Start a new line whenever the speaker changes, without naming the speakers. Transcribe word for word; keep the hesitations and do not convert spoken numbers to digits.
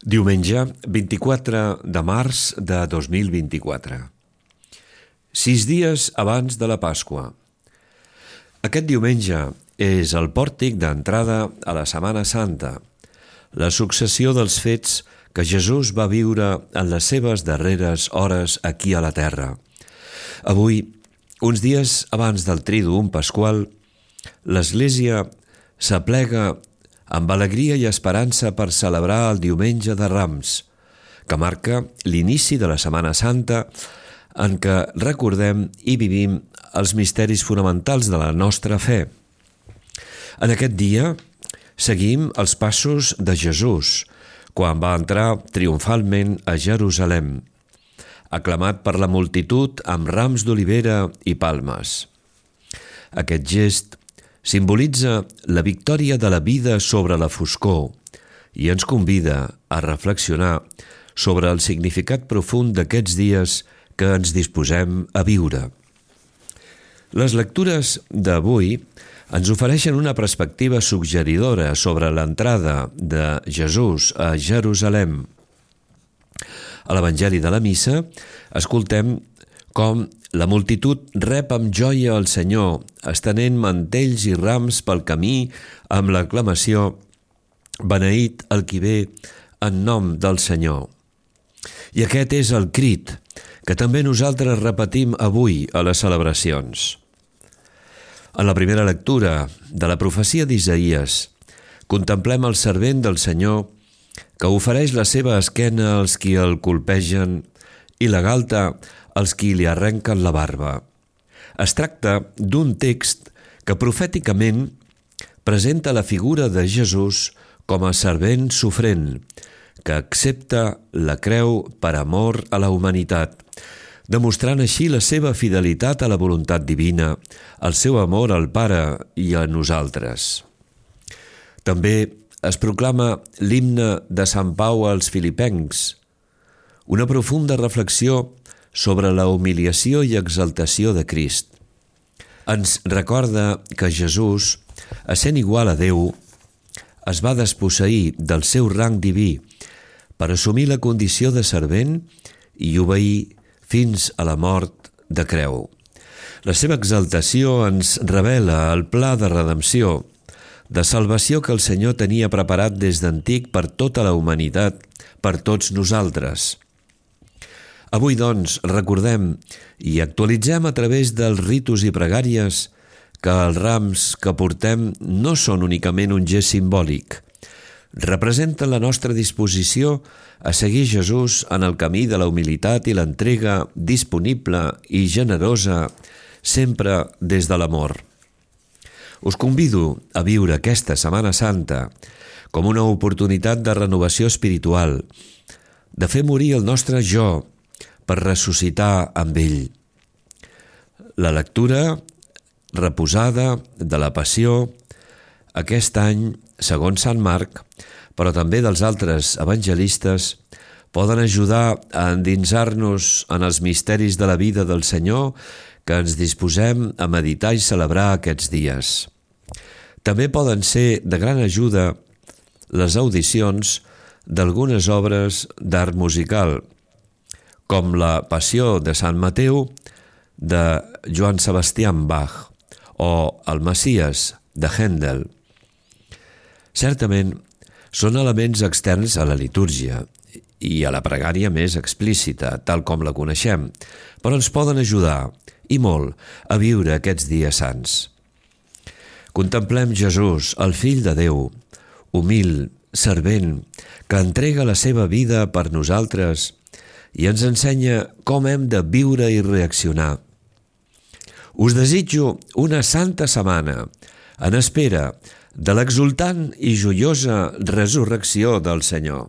Diumenge, vint-i-quatre de març de dos mil vint-i-quatre. Sis dies abans de la Pasqua. Aquest diumenge és el pòrtic d'entrada a la Setmana Santa, la successió dels fets que Jesús va viure en les seves darreres hores aquí a la terra. Avui, uns dies abans del Triduum Pasqual, l'Església s'aplega amb alegria i esperança per celebrar el Diumenge de Rams, que marca l'inici de la Setmana Santa en què recordem i vivim els misteris fonamentals de la nostra fe. En aquest dia seguim els passos de Jesús quan va entrar triomfalment a Jerusalem, aclamat per la multitud amb rams d'olivera i palmes. Aquest gest simbolitza la victòria de la vida sobre la foscor i ens convida a reflexionar sobre el significat profund d'aquests dies que ens disposem a viure. Les lectures d'avui ens ofereixen una perspectiva suggeridora sobre l'entrada de Jesús a Jerusalem. A l'Evangeli de la Missa escoltem com la multitud rep amb joia el Senyor, estenent mantells i rams pel camí amb l'aclamació «Beneït el qui ve en nom del Senyor». I aquest és el crit que també nosaltres repetim avui a les celebracions. En la primera lectura de la profecia d'Isaïes, contemplem el servent del Senyor que ofereix la seva esquena als qui el colpegen i la galta als qui li arrenquen la barba. Es tracta d'un text que profèticament presenta la figura de Jesús com a servent sofrent, que accepta la creu per amor a la humanitat, demostrant així la seva fidelitat a la voluntat divina, el seu amor al Pare i a nosaltres. També es proclama l'himne de Sant Pau als Filipencs, una profunda reflexió sobre la humiliació i exaltació de Crist. Ens recorda que Jesús, essent igual a Déu, es va desposseir del seu rang diví per assumir la condició de servent i obeir fins a la mort de creu. La seva exaltació ens revela el pla de redempció, de salvació que el Senyor tenia preparat des d'antic per tota la humanitat, per tots nosaltres. Avui, doncs, recordem i actualitzem a través dels ritus i pregàries que els rams que portem no són únicament un gest simbòlic. Representen la nostra disposició a seguir Jesús en el camí de la humilitat i l'entrega disponible i generosa, sempre des de l'amor. Us convido a viure aquesta Setmana Santa com una oportunitat de renovació espiritual, de fer morir el nostre jo, per ressuscitar amb ell. La lectura reposada de la Passió aquest any, segons Sant Marc, però també dels altres evangelistes, poden ajudar a endinsar-nos en els misteris de la vida del Senyor que ens disposem a meditar i celebrar aquests dies. També poden ser de gran ajuda les audicions d'algunes obres d'art musical, com la Passió de Sant Mateu de Johann Sebastian Bach o el Messies de Händel. Certament, són elements externs a la litúrgia i a la pregària més explícita, tal com la coneixem, però ens poden ajudar, i molt, a viure aquests dies sants. Contemplem Jesús, el Fill de Déu, humil, servent, que entrega la seva vida per nosaltres i ens ensenya com hem de viure i reaccionar. Us desitjo una santa setmana en espera de l'exultant i joiosa resurrecció del Senyor.